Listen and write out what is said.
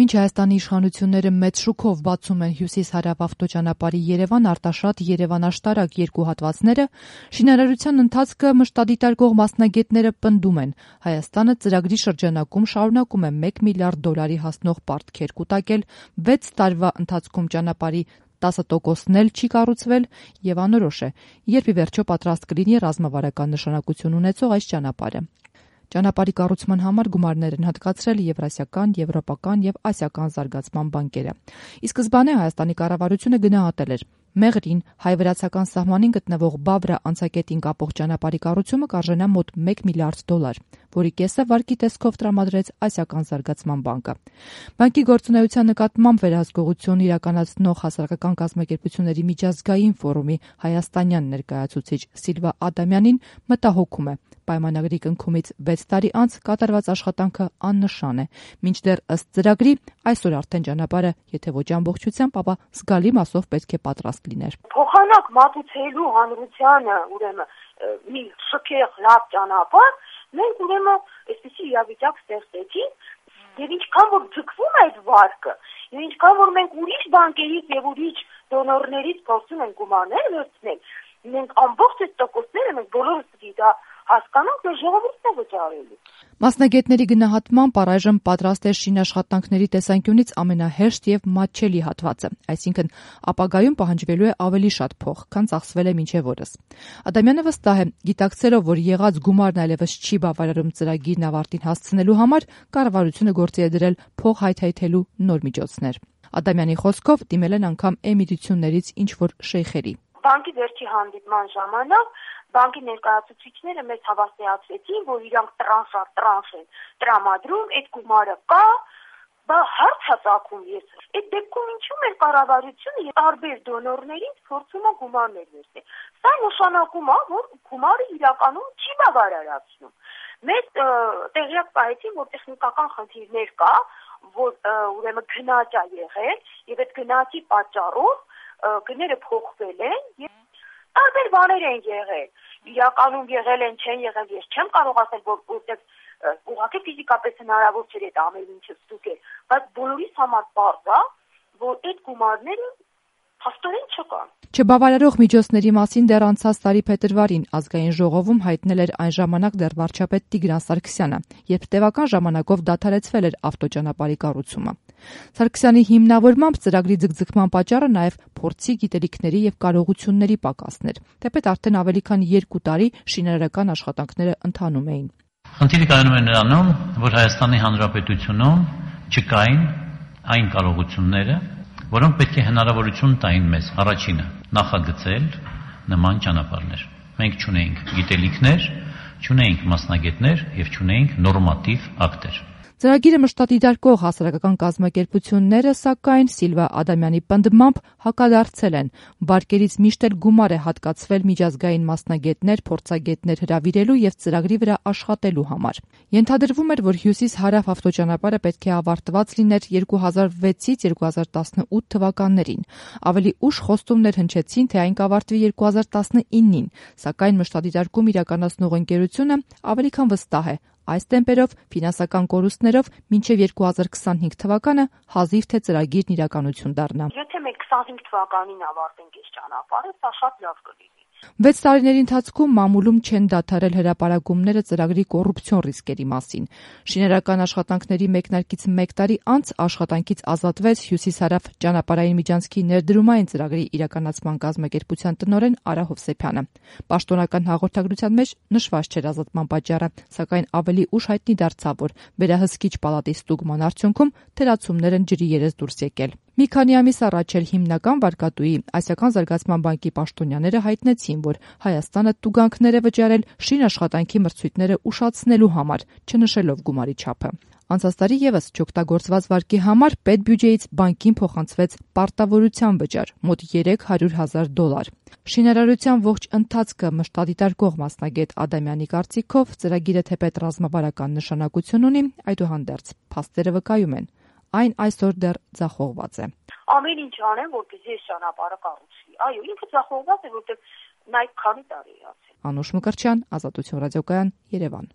Մինչ Հայաստանի իշխանությունները մեծ շուքով բացում են հյուսիս-հարավ ավտոճանապարհի Երևան-Արտաշատ-Երևան-Աշտարակ երկու հատվածները, շինարարության ընթացքը մշտադիտարկող մասնագետները պնդում են. Հայաստանը ծրագրի շրջանակում շարունակում է $1 միլիարդ հասնող պարտքեր կուտակել, 6 տարվա ընթացքում ճանապարհի 10%-ն էլ չի կառուցվել եւ անորոշ է, երբ ի վերջո պատրաստ կլինի ռազմավարական նշանակություն ունեցող այս ճանապարհը։ Ճանապարհի կառուցման համար գումարներ են հատկացրել Եվրասիական, Եվրոպական եւ Ասիական զարգացման բանկերը։ Ի սկզբանե Հայաստանի կառավարությունը գնահատել էր Մեղրին հայ-վրացական սահմանին գտնվող Բավրա անցակետին կապող ճանապարհի կառուցումը կարժենա մոտ $1 միլիարդ, որի կեսը վարկի տեսքով տրամադրեց Ասիական զարգացման բանկը։ Բանկի գործունեության նկատմամբ վերահսկողություն իրականացնող հասարակական կազմակերպությունների միջազգային ֆորումի հայաստանյան ներկայացուցիչ Սիլվա Ադամյանին մտահոգում է պայմանագրի կնքումից 6 տարի անց կատարված աշխատանքը աննշան է, մինչդեռ ըստ ծրագրի այսօր արդեն ճանապարհը, եթե ոչ ամբողջությամբ, ապա զգալի մասով պետք է պատրաստ լիներ։ Փոխանակ մատուցելու հանրությանը, ուրեմն մի շքեղ լավ ճանապարհ, մենք ուրեմն այսպեսի իրավիճակ ստեղծեցինք, եւ ինչքան որ ձգվում է այդ վարկը, եւ ինչքան որ մենք ուրիշ բանկերից եւ ուրիշ դոնորներից փորձում ենք գումարներ վերցնել, մենք ամբողջ այդ տոկոսները մենք բոլորս պիտի դա հասկանանք, որ ժողովուրդն է վճարելու։ Մասնագետների գնահատմամբ առայժմ պատրաստ է շինաշխատանքների տեսանկյունից ամենահեշտ եւ մատչելի հատվածը, այսինքն ապագայում պահանջվելու է ավելի շատ փող, քան ծախսվել է մինչեւ օրս։ Ադամյանը վստահ է, գիտակցելով, որ եղած գումարն այլևս չի բավարարում ծրագիրն ավարտին հասցնելու համար, կառավարությունը գործի է դրել փող հայթայթելու նոր միջոցներ։ Ադամյանի խոսքով դիմել են անգամ էմիրություններից ինչ-որ շեյխերի։ Բանկի վերջի հանդիպման ժամանակ բանկի ներկայացուցիչները մեզ հավաստիացրեցին, որ իրանք տրանշ են տրամադրում, այդ գումարը կա, բա հարց հացակում ես։ Այդ դեպքում ինչու՞ մեր կառավարությունը տարբեր դոնորներից փորձում է գումարներ վերցնել։ Սա նշանակում է, որ գումարը իրականում չի բավարարացնում։ Մեզ տեղյակ պահեցին, որ տեխնիկական խնդիրներ կա, որ ուրեմն գնաճ է եղել, եւ այդ գնաճի պատճառով գները փոխվել են եւ տարբեր բաներ են եղել։ Իրականում եղել են, չեն եղել, ես չեմ կարող ասել, որտեղ ուղղակի ֆիզիկապես հնարավոր չէ այդ ամեն ինչը ստուգել, բայց բոլորիս համար պարզ է, որ այդ գումարները փաստորեն չկան։ Չբավարարող միջոցների մասին դեռ անցած տարի փետրվարին ազգային ժողովում հայտնել էր այն ժամանակ դեռ վարչապետ Տիգրան Սարգսյանը, երբ տևական ժամանակով դադարեցվել էր ավտոճանապարհի կառուցումը։ Սարգսյանի հիմնավորմամբ ծրագրի ձգձգման պատճառը նաև փորձի, գիտելիքների եւ կարողությունների պակասն էր, թեպետ արդեն ավելի քան 2 տարի շինարարական աշխատանքները ընթանում էին։ Խնդիրը կայանում է նրանում, որ Հայաստանի Հանրապետությունում չկային այն կարողությունները, որոնք պետք է հնարավորություն տային մեզ առաջինը նախագծել նման ճանապարհներ։ Մենք չունեինք գիտելիքներ, չունեինք մասնագետներ եւ չունեինք նորմատիվ ակտեր։ Ծրագիրը մշտադիտարկող հասարակական կազմակերպությունները, սակայն Սիլվա Ադամյանի պնդմամբ հակադարձել են։ Վարկերից միշտ էլ գումար է հատկացվել միջազգային մասնագետներ, փորձագետներ հրավիրելու եւ ծրագրի վրա աշխատելու համար։ Ենթադրվում էր, որ հյուսիս-հարավ ավտոճանապարհը պետք է ավարտված լիներ 2006-ից 2018 թվականներին։ Ավելի ուշ խոստումներ հնչեցին, թե այն կավարտվի 2019-ին, սակայն մշտադիտարկում իրականացնող ընկերությունը ավելի քան վստահ է։ Այս տեմպերով, ֆինանսական կորուստներով մինչև 2025 թվականը հազիվ թե ծրագիրն իրականություն դառնա։ Եթե մենք 25 թվականին ավարտենք այս ճանապարհը, սա շատ լավ կլինի։ 6 տարիների ընթացքում մամուլում չեն դադարել հրապարակումները ծրագրի կոռուպցիոն ռիսկերի մասին։ Շինարարական աշխատանքների մեկնարկից 1 տարի անց աշխատանքից ազատվեց հյուսիս-հարավ ճանապարհային միջանցքի ներդրումային ծրագրի իրականացման կազմակերպության տնօրեն Արա Հովսեփյանը։ Պաշտոնական հաղորդագրության մեջ նշված չէր ազատման պատճառը, սակայն ավելի ուշ հայտնի դարձավ, որ վերահսկիչ պալատի ստուգման արդյունքում թերացումներ են ջրի երես դուրս եկել։ Մի քանի ամիս առաջ էլ հիմնական վարկատուի Ասիական զարգացման բանկի պաշտոնյաները հայտնեցին, որ Հայաստանը տուգանքներ է վճարել շինաշխատանքի մրցույթները ուշացնելու համար, չնշելով գումարի չափը։ Անցած տարի եւս չօգտագործված վարկի համար պետբյուջեից բանկին փոխանցվեց պարտավորության վճար՝ մոտ $300,000։ Շինարարության ողջ ընթացքը մշտադիտարկող մասնագետ Ադամյանի կարծիքով ծրագիրը թեպետ ռազմավարական նշանակություն ունի, այդուհանդերձ փաստերը վկայում են, այն այսօր դեռ ձախողված է։ Ամեն ինչ անեն, որպեսզի այս ճանապարհը կառուցվի։ Այո, ինքը ձախողված է, որտեղ նա քանի տարի է անցել։ Անուշ Մկրտչյան, Ազատություն ռադիոկայան, Երևան։